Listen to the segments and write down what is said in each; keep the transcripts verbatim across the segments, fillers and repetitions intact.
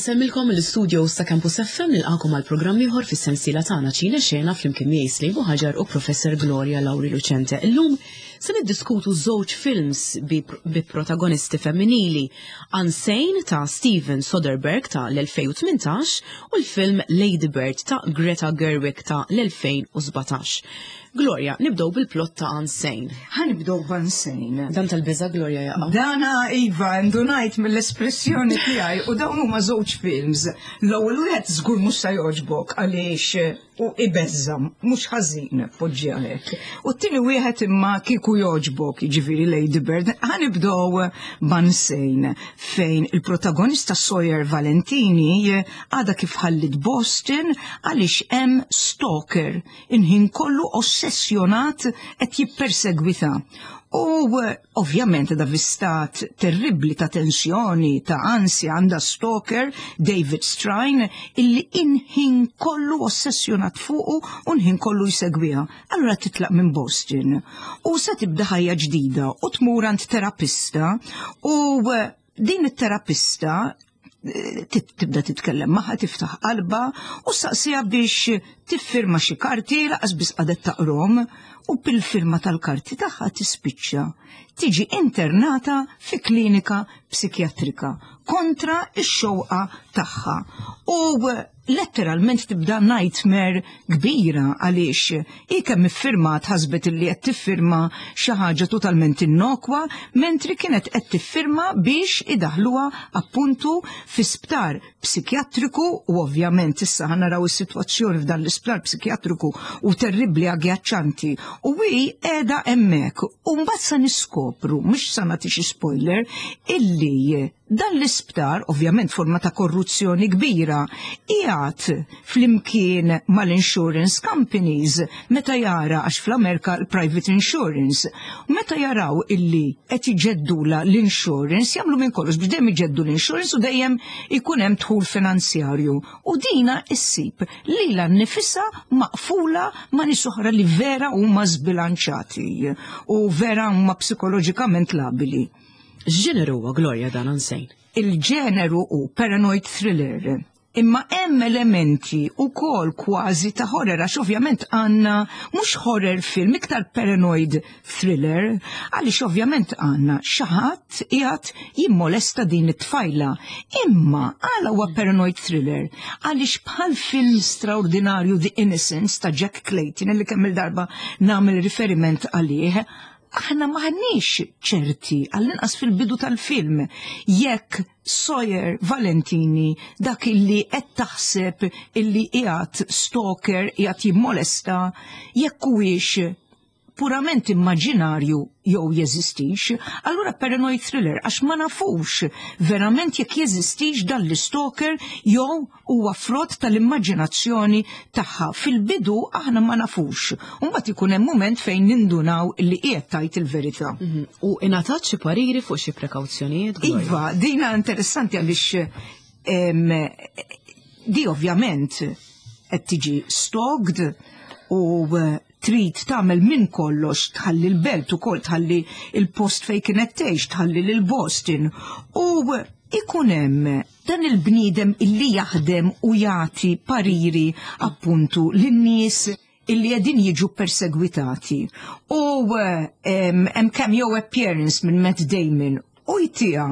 Insellmilkom mill-istudio ta' Campus F M, nilqagħkom għal programm ieħor fis-sensiela tagħna Ċine Xena flimkien miegħi Slejbu Ħaġar u Professor Gloria Lauri Lucente. Illum se niddiskutu żewġ films bi, bi protagonisti femminili: Unsane ta' Steven Soderbergh ta' l-elfejn u tmintax u l-film Lady Bird ta' Greta Gerwig ta' l-elfejn u sbatax. Gloria, nibdew bil-plot ta' Unsane. Ħa nibdew b'Unsane. Dan tal-biża', Gloria, jaqa'. Dana iva, ndunajt mill-espressjoni tiegħi, u dawn huma żewġ films. L-ewwel wieħed żgur mhux se jogħġbok għaliex u ibeżża', mhux ħażin, poġġi hekk. U t-tieni wieħed imma kieku jogħġbok, jiġifieri Lady Bird. Ħa nibdew b'Unsane, fejn il-protagonista Sawyer Valentini għadha kif ħallit Boston għaliex hemm stalker il-ħin kollu ossessjonat qed jippersegwita. U ovvjament da fi stat terribli ta' tensjoni, ta' ansja, għandha stalker, David Strine, illi il-ħin kollu ossessjonat fuqu u l-ħin kollu jsegwiha. Allura titlaq minn Boston u se tibda ħajja ġdida u tmur għand terapista, u din it-terapista tibda titkellem magħha, tiftaħ qalba u saqsija biex tiffirma xi karti, lanqas biss qadet taqrahom, u bil-firma tal-karti tagħha tispiċċa tiġi internata fi klinika psikjatrika kontra x-xewqa tagħha. U letteralment tibda nightmare kbira għaliex hi kemm iffirmat ħasbet illi qed tiffirma xi ħaġa totalment innokwa, mentri kienet qed tiffirma biex idaħluha appuntu fi sptar psikjatriku. U ovvjament issa ħa naraw is-sitwazzjoni f'dan l-isptar psikjatriku u terribbli, agghiaccianti, u hi qiegħda hemmhekk u mbagħad sa niskopru, mhux sa nagħti xi spoiler, illi dan l-isptar, ovvjament forma ta' korruzzjoni kbira, qiegħed flimkien mal-insurance companies meta jara, għax fl-Amerika l-private insurance, meta jaraw illi qed iġeddula l-insurance, jagħmlu minn kollox biex dejjem iġeddu l-insurance u dejjem ikun hemm dħul finanzjarju. U dina issib lilha nnifisha maqfula ma' nies oħra li vera huma zbilanċati u vera huma psikoloġikament labili. X'ġeneru huwa, Gloria, dan Unsane? Il-ġeneru hu paranoid thriller. Imma hemm elementi ukoll kważi ta' horror, għax ovvjament għandna mhux horror film, iktar paranoid thriller, għaliex ovvjament għandna xi ħadd qiegħed jimmolesta din it-tfajla. Imma għala huwa paranoid thriller? Għaliex bħal film straordinarju The Innocents ta' Jack Clayton, li kemm il-darba nagħmel riferiment għalih, aħna maħniex ċerti, għall-inqas fil-bidu tal-film, jekk Sawyer Valentini, dak illi qed taħseb illi qiegħed stalker, qiegħed jimmolesta, jekk huwiex purament immaġinarju jew jeżistix. Allura paranoid thriller għax ma nafux verament jekk jeżistix dan l-stalker jew huwa frott tal-immaġinazzjoni tagħha. Fil-bidu aħna ma nafux. U mbagħad ikun hemm mument fejn nindunaw li qiegħed tgħid il-verità. Mhm. U ingħatat xi pariri fuq xi prekawzjonijiet, Gloria? Iva, dina interessanti għaliex em, di ovvjament qed tiġi stalked u eh, trid tagħmel minn kollox tħalli l-belt ukoll, tħalli il-post fejn kienet tgħix, tħalli lil Boston, u ikun hemm dan il-bniedem illi jaħdem u jagħti pariri appuntu lin-nies illi qegħdin jiġu persegwitati. U em, hemm cameo appearance minn Matt Damon u jtiha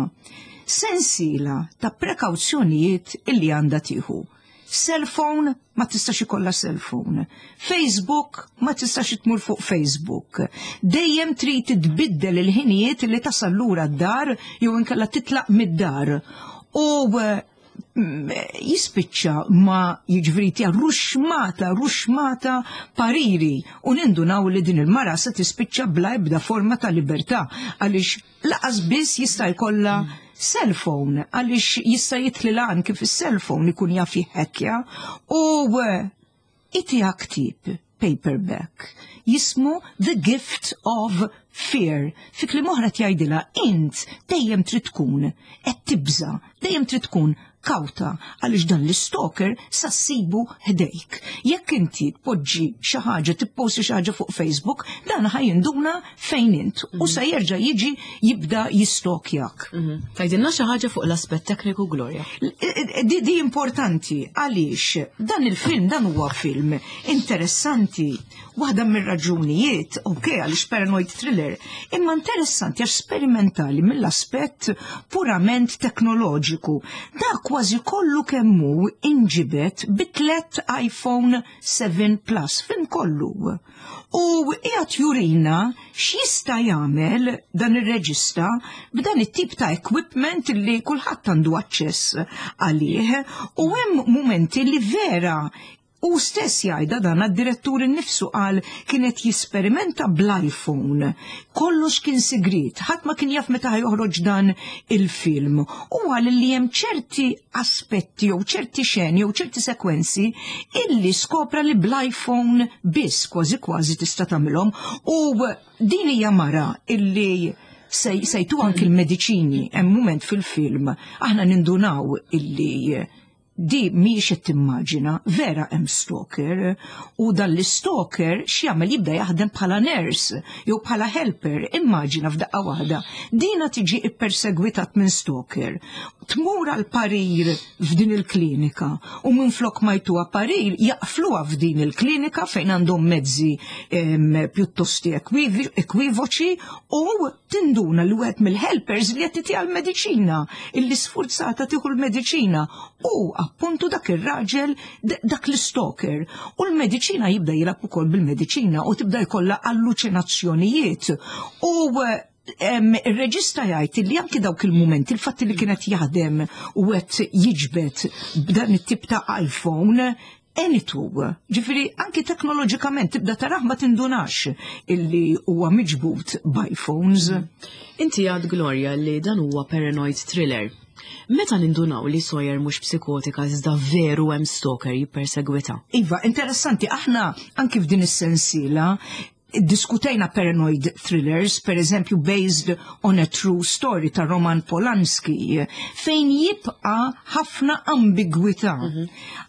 sensiela ta' prekawzjonijiet illi għandha tieħu. Cellphone, ma tistax ikollha cellphone. Facebook, ma tistax tmur fuq Facebook. Dejjem trid tbiddel il-ħinijiet li tasal lura d-dar jew inkella titlaq mid-dar. U eh, mm, jispiċċa ma jiġifieri tija ruxmata, ruxmata pariri, u nindunaw li din il-mara se tispiċċa bla ebda forma ta' libertà għaliex lanqas biss jista' jkollha cellphone, għaliex jista' jitlilha anke fis-cellphone, ikun jaf jħekkja, u eh, itiha ktieb paperback jismu The Gift of Fear. Fi kliem oħra tgħidilha: int dejjem trid tkun qed tibża, dejjem trid tkun kawta għaliex dan l-stalker sa ssibu ħdejk. Jekk inti tpoġġi xi ħaġa, tipposti xi ħaġa fuq Facebook, dan ħa jinduna fejn int u sa jerġa' jiġi jibda jistokjak. Tgħidilna xi ħaġa fuq l-aspett tekniku, Gloria. Di, di importanti għaliex dan il-film, dan huwa film interessanti. Waħda mir-raġunijiet, ok, għaliex paranoid thriller, imma interessanti għax sperimentali mill-aspett purament teknoloġiku. Da kważi kollu kemm hu inġibed bi tliet iPhone seven Plus, film kollu. U qiegħed jurina x'jista' jagħmel dan ir-reġista b'dan it-tip ta' equipment li kulħadd għandu aċċess għalih, u hemm mumenti li vera u stess jgħidha dan għad-direttur innifsu, qal kienet jisperimenta bl-iPhone. Kollox kien sigrit, ħadd ma kien jaf meta joħroġ dan il-film. U qal li hemm ċerti aspetti jew ċerti xeni jew ċerti sekwenzi illi skopra li bl-iPhone biss kważi kważi tista' tagħmilhom. U din hija mara illi sejtu anki l-mediċini, hemm mument fil-film aħna nindunaw illi di mhijiex qed timmaġina, vera hemm stalker, u dan l-stalker x'jagħmel, jibda jaħdem bħala nurse jew bħala helper. Immaġina f'daqqa waħda dina tiġi ippersegwitat minn stalker, tmur għal parir f'din il-klinika u minflok ma jtuha parir jaqfluha f'din il-klinika fejn għandhom mezzi pjuttosti ekwivoċi, u tinduna li wieħed mill-helpers li qed titiha l-mediċina, illi sfurzata tieħu l-mediċina, u appuntu dak ir-raġel, dak l-stalker. U l-mediċina jibda jilgħab ukoll bil-mediċina u tibda jkollha alluċinazzjonijiet. U il-reġista jgħid li anki dawk il-moment, il-fatt li kienet jaħdem u qed jiġbed b'dan it-tip ta' iPhone, enitu. Ġifieri anki teknoloġikament tibda taraħ ma tindunax illi huwa miġbud b'iPhones. Inti għad, Gloria, li dan huwa paranoid thriller. Meta nindunaw li Sawyer mhux psikotika iżda veru hemm stalker jippersegwita? Iva, interessanti, aħna anki f'din is-sensiela diskutejna paranoid thrillers, per eżempju Based on a True Story ta' Roman Polanski, fejn jibqa ħafna ambigwità.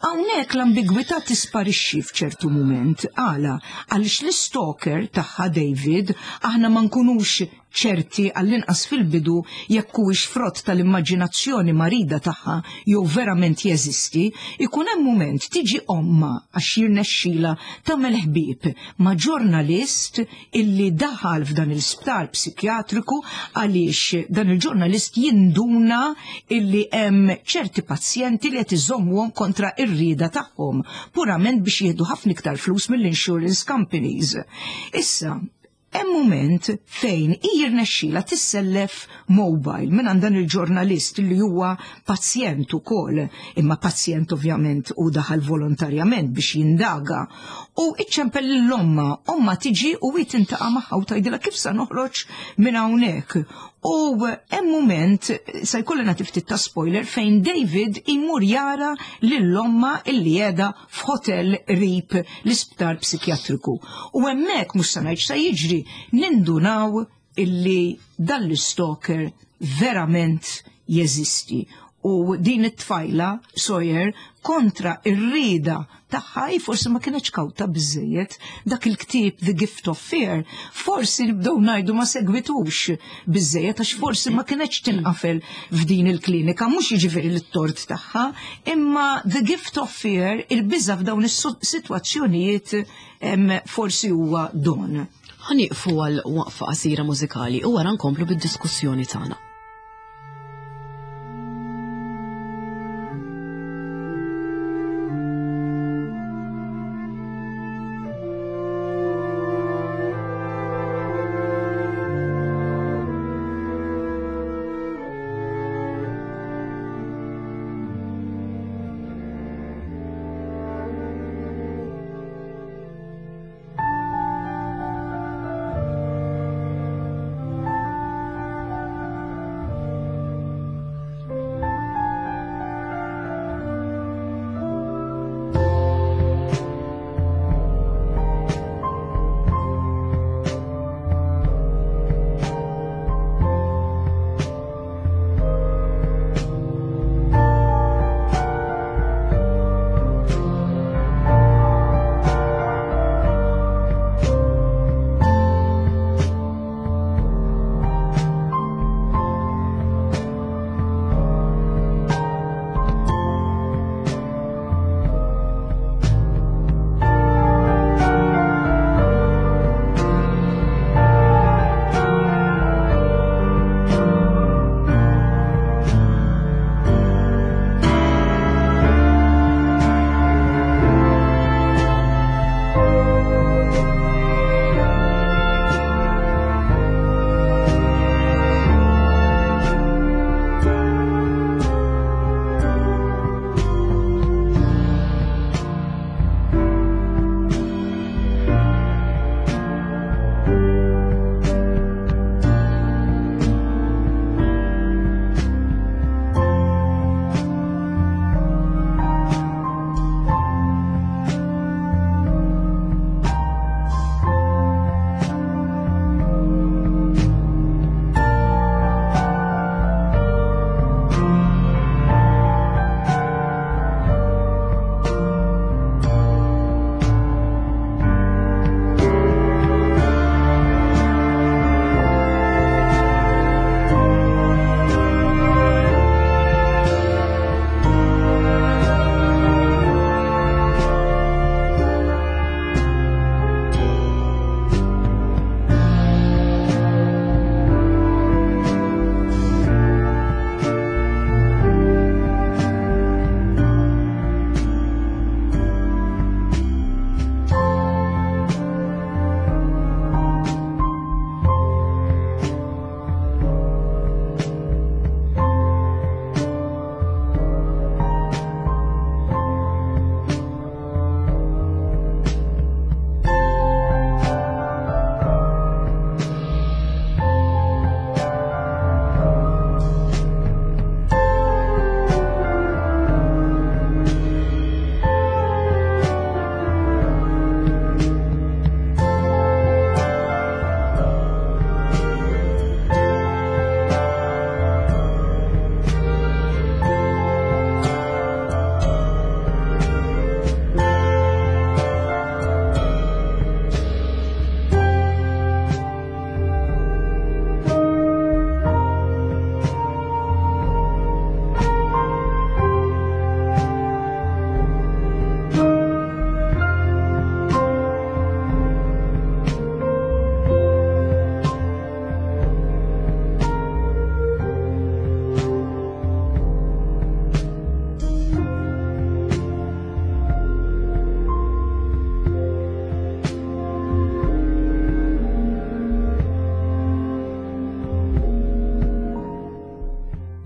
Hawnhekk l-ambigwità tisparixxi f'ċertu mument. Għala, għaliex l-stalker tagħha David, aħna ma nkunux ċerti għall-inqas fil-bidu jekk huwiex frott tal-immaġinazzjoni marida tagħha jew verament jeżisti, ikun hemm mument tiġi omma għax jirnexxila tagħmel ħbieb ma' ġurnalist illi daħal f'dan il-sptar psikjatriku għaliex dan il-ġurnalist jinduna illi hemm ċerti pazjenti li qed iżommuhom kontra ir-rieda tagħhom, purament biex jieħdu ħafna iktar flus mill-insurance companies. Issa, hemm mument fejn jirnexxila tissellef mobile minn għand dan il-ġurnalist li huwa pazjent ukoll, imma pazjent ovvjament u daħal volontarjament biex jindaga. U iċċempel l-omma, omma tiġi u hi tintaqa' magħha u tgħidilha kif sa noħroġ minn hawnhekk. U hemm mument, sa jkolli nagħti ftit ta' spoiler, fejn David imur jara lill-omma illi qiegħda f'hotel qrib l-isptar psikjatriku. U hemmhekk mhux sa ngħid sa jiġri, nindunaw illi dan l-stalker verament jeżisti. U din it-tfajla, Sawyer, kontra ir-rieda tagħha, forsi ma kienx kawta biżejjed, dak il-ktieb The Gift of Fear, forsi nibdew ngħidu ma segwitux biżejjed għax forsi ma kienx tinqafel f'din il-klinika, mhux jiġifieri l-tort tagħha, imma The Gift of Fear, il-biża' f'dawn is-sitwazzjonijiet forsi huwa don. Ħa nieqfu għal waqfa qasira mużikali u wara nkomplu bid-diskussjoni tagħna.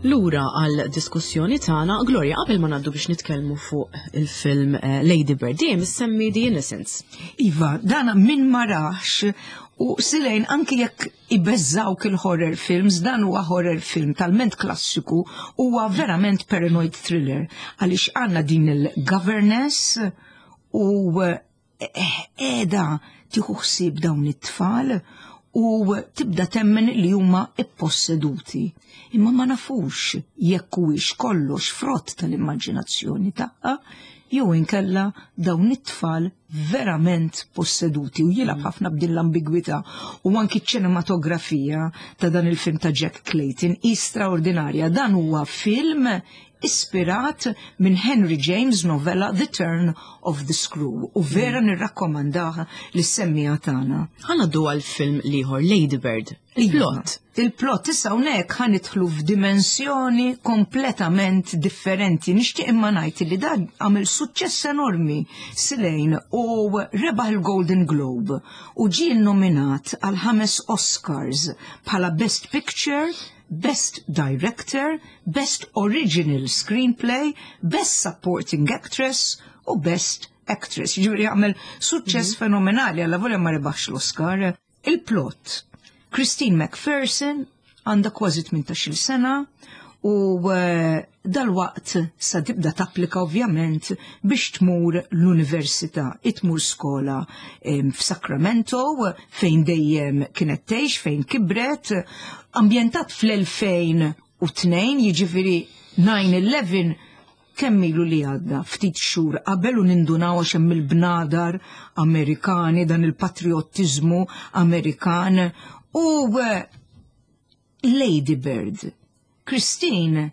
Lura għal diskussjoni tagħna, Gloria, qabel ma ngħaddu biex nitkellmu fuq il-film eh, Lady Bird, dejjem issemmi The Innocents. Iva, dana min ma rahx u silejn anki jekk ibeżżawk il-horror films, dan huwa horror film talment klassiku, huwa verament paranoid thriller, għaliex għandna din il-governess u qiegħda tieħu ħsieb dawn it-tfal u tibda temmen li huma ipposseduti. Imma ma nafux jekk huwiex kollox frott tal-immaġinazzjoni tagħha jew inkella dawn it-tfal verament posseduti, u jilgħab ħafna b'din l-ambigwità, u anki ċ-ċinematografija ta' dan il-film ta' Jack Clayton hi straordinarja. Dan huwa film ispirat minn Henry James novella The Turn of the Screw u vera nirrakkomandaha lis-semmiegħa tagħna. Ħa ngħaddu għal film l-ieħor, Lady Bird. Il-plot. Il-plot issa hawnhekk ħa nidħlu f'dimensjoni kompletament differenti. Nixtieq imma ngħid li dan għamel suċċess enormi silejn u rebaħ il-Golden Globe u ġie nominat għal ħames Oscars bħala Best Picture, Best Director, Best Original Screenplay, Best Supporting Actress u Best Actress. Ġifieri għamel suċċess fenomenali għalla volja ma rebaħx l-Oscar. Il-plot. Christine McPherson għandha kważi tmintax-il sena u eh, dal-waqt sa tibda tapplika ovvjament biex tmur l-università, tmur skola em, f'Sacramento fejn dejjem kienet tgħix, fejn kibret, ambjentat fl-elfejn u tnejn, jiġifieri nine eleven kemm ilu li għadda, ftit xhur qabel, u nindunaw għax hemm il-bnadar Amerikani, dan il-patriottiżmu Amerikan u eh, Lady Bird. Christine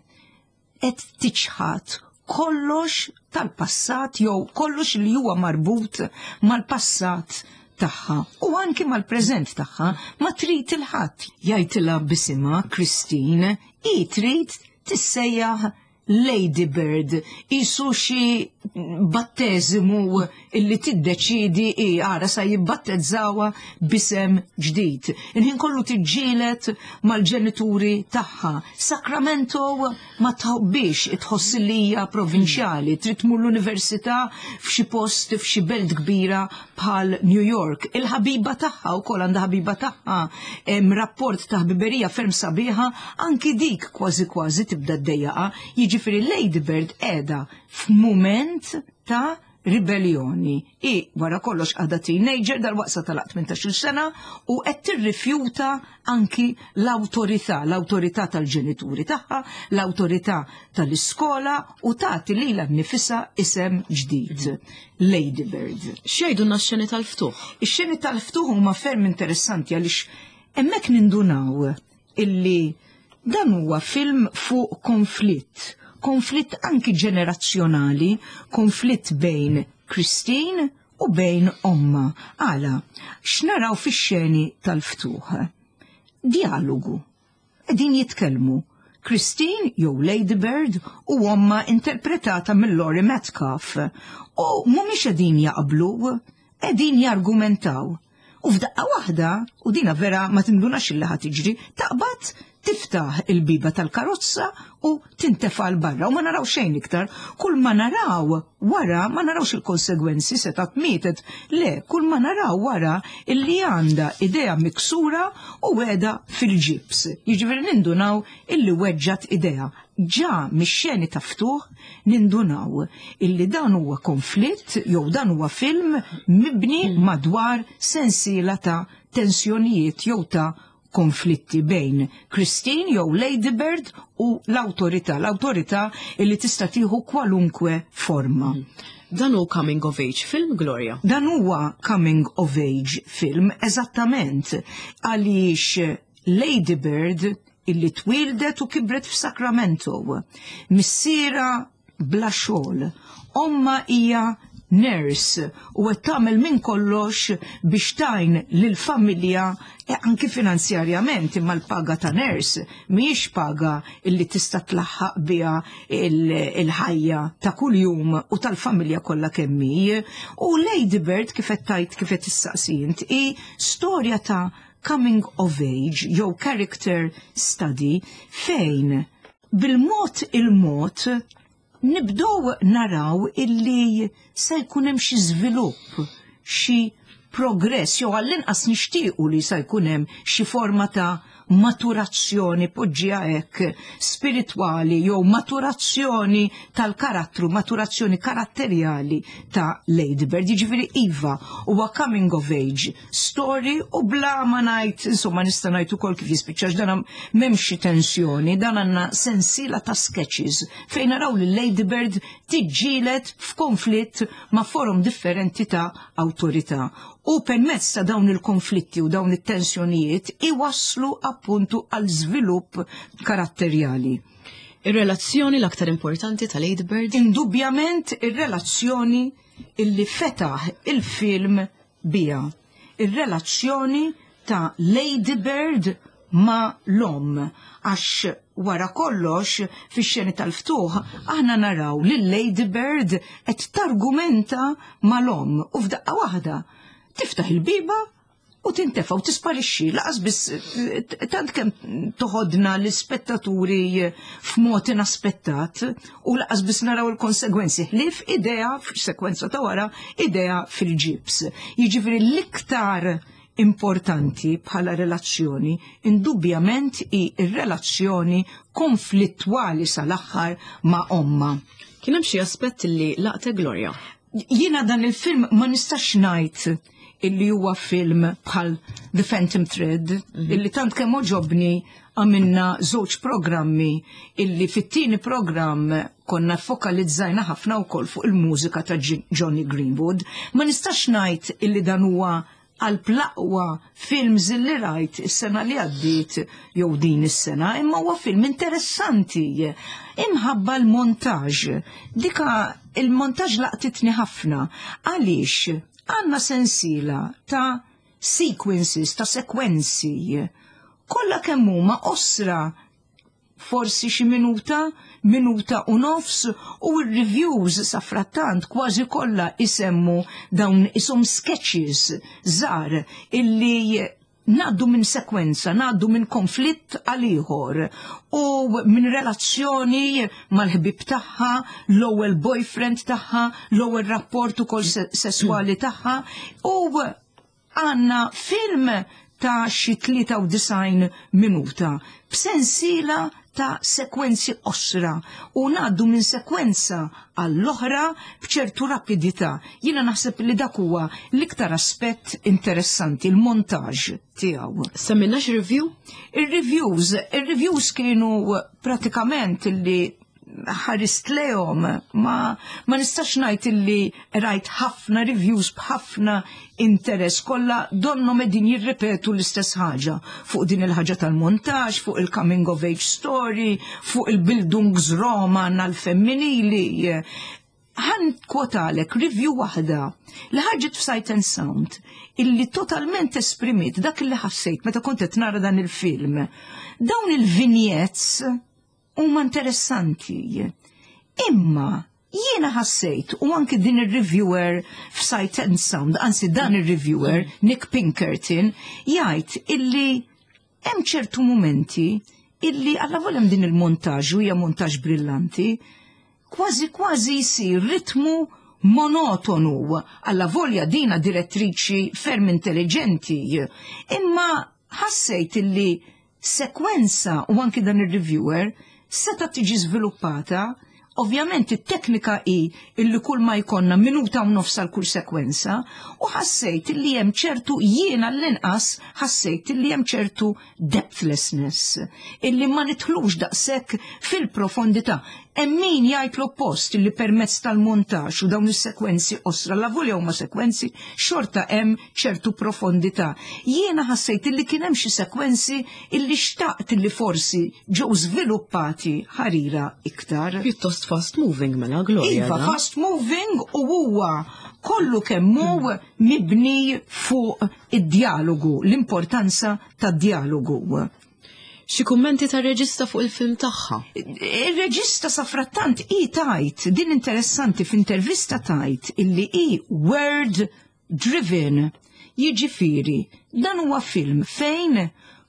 qed tiċħat kollox tal-passat jew kollox li huwa marbut mal-passat tagħha u anki mal-preżent tagħha. Ma trid lil ħadd jgħidilha b'isimha Christine, hi trid tissejjaħ Lady Bird, qisu xi batteżimu illi tiddeċidi i għara sa jibbattezzawha b'isem ġdid. Il-ħin kollu tiġġieled mal-ġenituri tagħha. Sacramento ma tħobbix, tħoss li hija provinċjali, trid tmur l-università f'xi post, f'xi belt kbira bħal New York. Il-ħabiba tagħha wkoll, għandha ħabiba tagħha, hemm rapport ta' ħbiberija ferm sabiħa, anki dik kważi kważi tibda ddejjaqa. Jiġifieri Lady Bird qiegħda f'mument ta' ribellioni. I wara kollox għadha teenager, dal-waqt sa tagħlaq tmintax-il sena, u qed tirrifjuta anki l-awtorità, l-awtorità tal-ġenituri tagħha, l-awtorità tal-iskola, u tagħti lilha nnifisha isem ġdid, Lady Bird. X'jgħidulna x-xeni tal-ftuħ? Ix-xeni tal-ftuħ huma ferm interessanti għaliex hemmhekk nindunaw illi dan huwa film fuq konflitt, konflitt anki ġenerazzjonali, konflitt bejn Christine u bejn omma. Għala, x'naraw fix-xeni tal-ftuħ? Dialogu. Qegħdin jitkellmu. Christine jew Lady Bird u omma interpretata mill Laurie Metcalf. U mhumiex qegħdin jaqblu, qegħdin jargumentaw. U f'daqqa waħda, u dina vera ma tindunax illi ħa tiġri, taqbad tiftaħ il-biba tal-karozza u tintefa 'l barra u ma naraw xejn iktar. Kull ma naraw wara, ma narawx il-konsegwenzi, setgħet mietet. Le, kull ma naraw wara illi għandha idejha miksura u qiegħda fil-ġibs. Jiġifieri nindunaw illi weġġat idejha. Ġa mix-xeni ta' ftuħ nindunaw illi dan huwa konflitt jew dan huwa film mibni madwar sensiela ta' tensjonijiet jew ta' konflitti bejn Christine jew Lady Bird u l-awtorità, l-awtorità illi tista' tieħu kwalunkwe forma. Dan hu coming of age film, Gloria? Dan huwa coming of age film eżattament, għaliex Lady Bird illi twildet u kibret f'Sacramento. Missiera bla xogħol, omma hija nurse u qed tagħmel minn kollox biex tgħin lill-familja e anki finanzjarjament, imma l-paga ta' nurse mhijiex paga illi tista' tlaħħaq biha il-ħajja ta' kuljum u tal-familja kollha kemm hi. U Lady Bird, kif qed tgħid, kif qed issaqsi int, hi storja ta' coming of age jew character study fejn Bil-mod il-mod nibdow naraw illi se jkun hemm xi żvilupp, xi progress, jew għall-inqas nixtiequ li se jkun hemm xi forma ta' maturazzjoni, poġġiha hekk, spiritwali jew maturazzjoni tal-karattru, maturazzjoni karatterjali ta' Lady Bird. Jiġifieri iva, huwa coming of age story u bla ma ngħid, insomma, nista' ngħid ukoll kif jispiċċax dan, m'hemmx xi tensjoni, dan għandna sensiela ta' sketches fejn naraw li Lady Bird tiġġieled f'konflitt ma' forom differenti ta' awtorità. U permezz ta' dawn il-konflitti u dawn it-tensjonijiet iwasslu appuntu għal żvilupp karatterjali. Ir-relazzjoni l-aktar importanti ta' Lady Bird? Indubjament ir-relazzjoni illi fetaħ il-film bija. Ir-relazzjoni ta' Lady Bird ma' l-omm. Għax wara kollox, fix-xeni tal-ftuħ, aħna naraw li Lady Bird qed targumenta mal-omm u f'daqqa waħda tiftaħ il-bieba u tintefa u tisparixxi, lanqas biss tant kemm toħodna l-ispettaturi f'mod inaspettat u lanqas biss naraw il-konsegwenzi ħlief idea f'sekwenza ta' wara, idea fil-ġibs. Jiġifieri l-iktar importanti bħala relazzjoni indubjament hi r-relazzjoni konflittwali sal-aħħar ma' omma. Kien hemm xi aspett li laqte, Gloria? Jiena dan il-film ma nistax ngħid illi huwa film bħal The Phantom Thread, mm -hmm. illi tant kemm għoġobni għamilna żewġ programmi, illi fit-tieni programm konna fokalizzajna ħafna wkoll fuq il-mużika ta' Johnny Greenwood. Ma nistax ngħid illi dan huwa għal l-aqwa films li rajt is-sena li għaddiet jew din is-sena, imma huwa film interessanti. Imħabba l-montaġ. Dika il-montaġ laqtitni ħafna. Għaliex għandna sensiela ta' sequences, ta' sekwenzi. Kollha kemm huma qosra, forsi xi minuta, minuta u nofs, u r-reviews sa frattant kważi kollha isemmu dawn isom sketches żgħar illi ngħaddu minn sekwenza, ngħaddu minn konflitt għal ieħor u minn relazzjoni mal-ħbib tagħha, l-ewwel boyfriend tagħha, l-ewwel rapport ukoll sesswali tagħha, u għandna film ta' xi tlieta u disgħin minuta b'sensiela ta' sekwenzi qosra u ngħaddu minn sekwenza għall-oħra b'ċertu rapidità. Jiena naħseb li dak huwa l-iktar aspett interessanti, il-montaġ tiegħu. Semmilna xi review? Il-reviews, il-reviews kienu pratikament li ħarist lejhom, ma, ma nistax ngħid illi rajt ħafna reviews b'ħafna interess, kollha donnu qegħdin jirripetu l-istess ħaġa fuq din il-ħaġa tal-montaġ, fuq il-coming of age story, fuq il-Bildungsroman għal-femminili. Ħa nikkwotalek review waħda li ħarġet f'Sight and Sound illi totalment esprimiet dak li ħassejt meta kont qed nara dan il-film. Dawn il-vignettes huma interessanti. Imma jiena ħassejt, u anki din il-reviewer f'Sight and Sound, anzi dan il-reviewer, Nick Pinkerton, jgħid illi hemm ċertu momenti illi għalla din il-montaġ, u hija montaġ brillanti, kważi kważi jsir ritmu monotonu, għalla volja dina direttriċi ferm intelligenti. Imma ħassejt illi sekwenza, u anki dan il-reviewer, seta tiġi żviluppata. Ovvjament it-teknika hi illi kull ma jkollna minuta u nofs għal kull sekwenza, u ħassejt illi hemm ċertu, jiena l-inqas ħassejt illi hemm ċertu depthlessness, illi ma nidħlux daqshekk fil-profondità. Hemm min jgħid l-oppost, illi permezz tal-montaġġ u dawn is-sekwenzi qosra, la volja huma sekwenzi, xorta hemm ċertu profondità. Jiena ħassejt illi kien hemm xi sekwenzi illi xtaqt illi forsi ġew żviluppati ħarira iktar. Pjuttost fast moving mela, Gloria. Iva, da? Fast moving u huwa kollu kemm hu mibni fuq id-dialogu, l-importanza tad-dialogu. Xi kummenti tar-reġista fuq il-film tagħha? Il-reġista safrattant i tajt, din interessanti, f'intervista tajt illi i word driven. Jiġifieri, dan huwa film fejn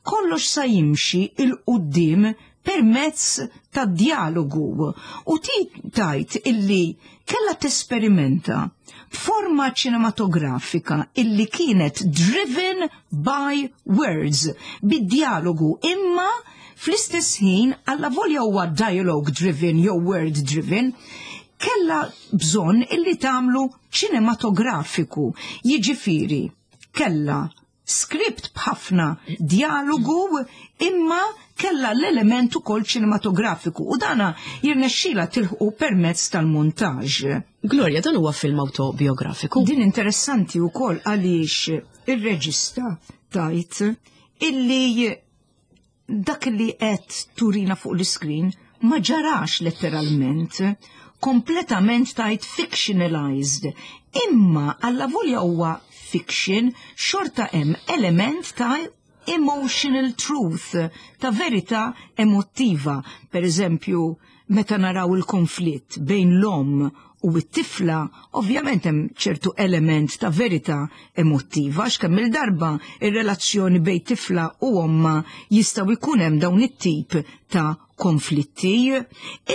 kollox sa jimxi 'l quddiem permezz ta' dialogu. U ti tajt illi kella tesperimenta b'forma ċinematografika illi kienet driven by words, bid-dialogu, imma fl-istess ħin, alla volja huwa dialogue driven jew word driven, kella bżonn illi tagħmlu ċinematografiku, jiġifieri kella script b'ħafna dialogu, imma kella l-element ukoll ċinematografiku, u dana jirnexxila tilħu permezz tal-montaġ. Gloria, dan huwa film autobiografiku. Din interessanti wkoll għaliex ir-reġista tajt illi dak li qed turina fuq l-iskrin ma ġarax letteralment, kompletament tajt fictionalized. Imma alla volja huwa fiction, xorta hemm element ta' emotional truth, ta' verità emotiva. Per eżempju, meta naraw il-konflitt bejn l-om u t-tifla, ovvjament hemm ċertu element ta' verità emotiva, għax kemm il-darba ir-relazzjoni bejn tifla u omma jistgħu jkun hemm dawn it-tip ta' konflitti,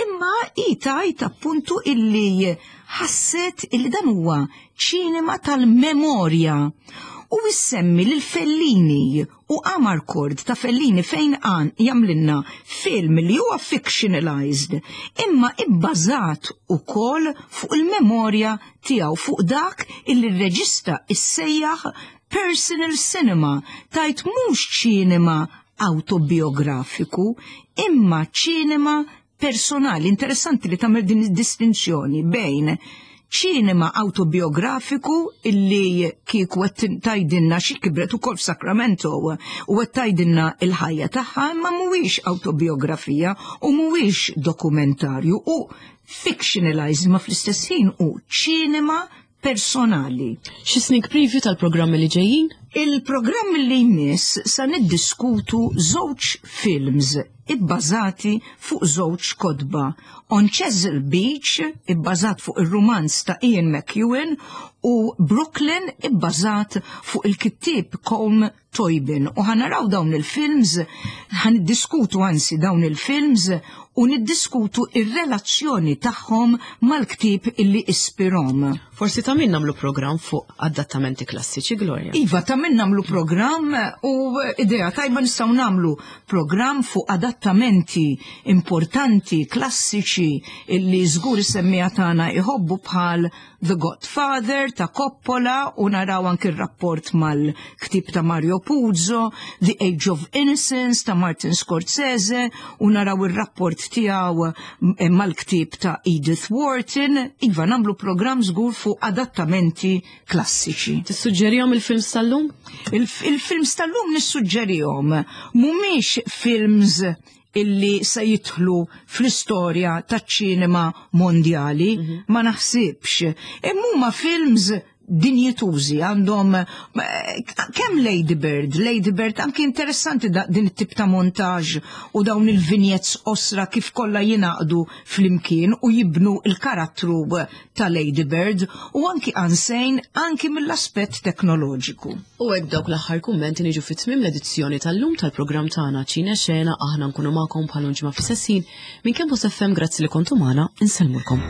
imma i tajt appuntu illi ħasset illi dan huwa ċinema tal-memorja u issemmi lil Fellini u Amarcord ta' Fellini, fejn għan jamlinna film li huwa fictionalized imma ibbażat ukoll fuq il-memorja tiegħu, fuq dak illi r-reġista issejjaħ personal cinema, tajt mhux ċinema autobiografiku imma ċinema personali. Interessanti li tagħmel din id-distinzjoni bejn ċinema autobiografiku, illi kieku qed tajdinna xi kibret ukoll f'Sacramento u qed tajdinna il-ħajja tagħha, imma mhuwiex autobiografija u mhuwiex dokumentarju u fictionalized, ma fl-istess ħin u ċinema personali. Xi sneak preview tal-programmi li ġejjin? Il-programm li jmiss sa niddiskutu żewġ films ibbażati fuq żewġ kotba. On Chesil Beach, ibbażat fuq ir-rumanz ta' Ian McEwan, u Brooklyn, ibbażat fuq il-kittieb Colm Tóibín. U ħa naraw dawn il-films, ħa niddiskutu anzi dawn il-films u niddiskutu ir-relazzjoni tagħhom mal-ktieb illi ispirahom. Forsi ta' min nagħmlu programm fuq adattamenti klassiċi, Gloria. Iva, ta' min nagħmlu programm, u idea tajba, nistgħu nagħmlu programm fuq adattamenti importanti, klassiċi, illi żgur is-semmiegħa tagħna iħobbu, bħal The Godfather ta' Coppola, u naraw anki r-rapport mal-ktib ta' Mario Puzo, The Age of Innocence ta' Martin Scorsese u naraw ir-rapport tiegħu eh, mal-ktib ta' Edith Wharton. Iva, nagħmlu programm żgur fuq adattamenti klassiċi. Tissuġġerihom il-films tal-lum? Il-films tal-lum nissuġġerihom. Mhumiex films illi se jidħlu fl-istorja taċ-ċinema mondjali, ma naħsibx. Imma huma films dinjitużi, għandhom eh, kemm Lady Bird, Lady Bird anki interessanti da, din it-tip ta' montaġ u dawn il-vignettes osra kif kollha jingħaqdu flimkien u jibnu il-karattru ta' Lady Bird, u anki Unsane, anki mill-aspett teknoloġiku. U hekk dawk l-aħħar kummenti niġu fit tmiem l-edizzjoni tal-lum tal-programm tagħna Ċine Xena. Aħna nkunu magħkom bħal ġimgħa fl-istess ħin minn Campus F M. Grazzi li kontu magħna, insellmulkom.